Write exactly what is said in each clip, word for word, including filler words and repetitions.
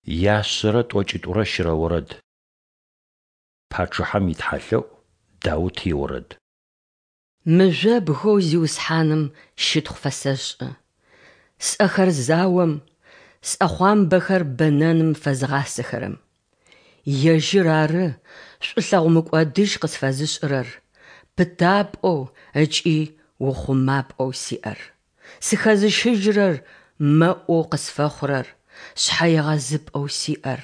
Яшъэрэ тӏокӏитӏурэ щырэ орэд. Пачъыхьэм итхьалъэӏу, Даут иорэд. Мыжъобгэу Зиусхьаным щытхъу фэсэшӏы, сӏэхэр заом, сӏэхъуамбэхэр бэнэным фэзыгъасэхэрэм. Ежьыр ары шӏулъэгъу мыкӏодыжь къысфэзышӏырэр, пытапӏэу ыкӏи ухъумапӏэу сиӏэр, сыхэзыщыжьырэр, мэӏоу къысфэхъурэр, шъхьэегъэзыпӏэу сиӏэр,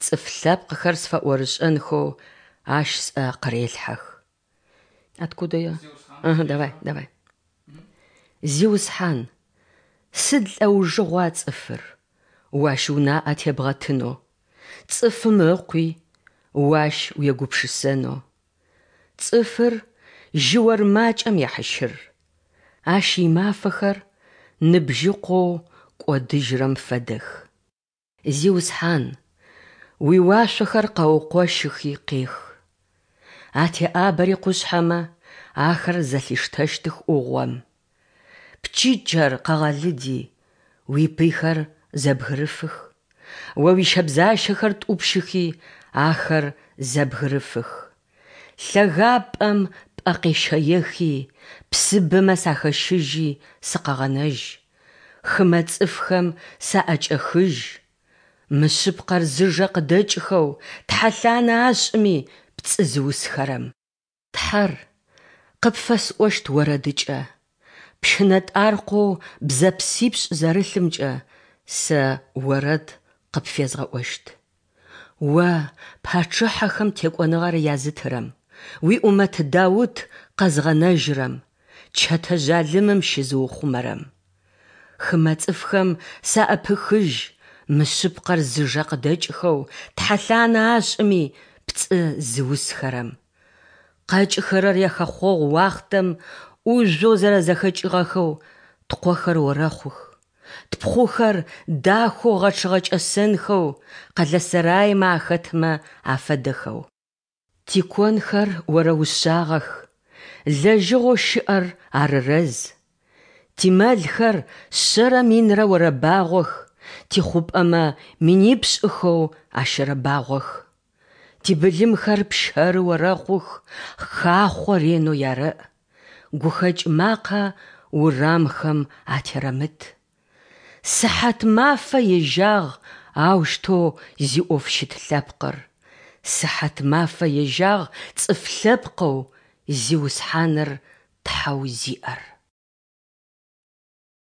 цӏыф лъэпкъхэр сфэӏорышӏэнхэу Ащ сӏэ къырелъхьэх. Откуда я? Ага, давай, давай. Зиусхьан, сыд лӏэужыгъуа цӏыфыр, о ащ унаӏэ тебгъэтынэу, цӏыфым ыкъуи, о ащ уегупшысэнэу? Цӏыфыр жьыор макӏэм ехьыщыр, ащ имафэхэр ныбжьыкъоу кӏодыжьырэм фэдэх. Зиусхьан, уиуашъохэр къэукъощыхи къех. Атеӏабэри къушъхьэмэ, ахэр зэлъиштэщтых ӏугъом. Пчыкӏэр къэгъэлыди, уипыйхэр зэбгырыфых. О уищэбзащэхэр тӏупщыхи, ахэр зэбгырыфых. Лъэгапӏэм пӏэ къещэехи, псыбэмэ сахэщыжьи сыкъэгъэнэжь, хымэ цӏыфхэм саӏэкӏэхыжь. Мышъыпкъэр зыжэ къыдэкӏхэу, тхьэлъанэ ашӏыми пцӏы зыусхэрэм. Тхьэр, къыпфэсӏощт орэдыкӏэ, пщынэтӏаркъоу бзэпсипшӏ зэрылъымкӏэ сэ орэд къыпфезгъэӏощт. О, пачъыхьэхэм текӏоныгъэр язытырэм, уиӏумэт Даут къэзгъэнэжьырэм, чэтэ жъалымым щызыухъумэрэм. Хымэ цӏыфхэм саӏэпыхыжь, мышъыпкъэр зыжэ къыдэкӏхэу, тхьэлъанэ ашӏыми пцӏы зыусхэрэм. Къэкӏыхэрэр яхэхъогъу уахътэм ӏужъоу зэрэзэхэкӏыгъэхэу ткъохэр орэхъух, тпхъухэр дахэу гъэчъыгъэ кӏэсэнхэу къэлэсэраймэ ахэтмэ афэдэхэу. Тиконхэр орэушъагъэх, лэжьыгъэу щыӏэр арырэз. Тимэлхэр шъэрэ минрэ орэбагъох, тихъупӏэмэ минипшӏыхэу ащэрэбагъох. Тибылымхэр пщэры орэхъух, хахъо ренэу ярэӏ. Гухэкӏ макъэ урамхэм атерэмыт. Сыхьат мафэ ежьагъ аущтэу зиӏоф щыт лъэпкъыр, сыхьат мафэ ежьагъ цӏыф лъэпкъэу Зиусхьаныр Тхьэу зиӏэр.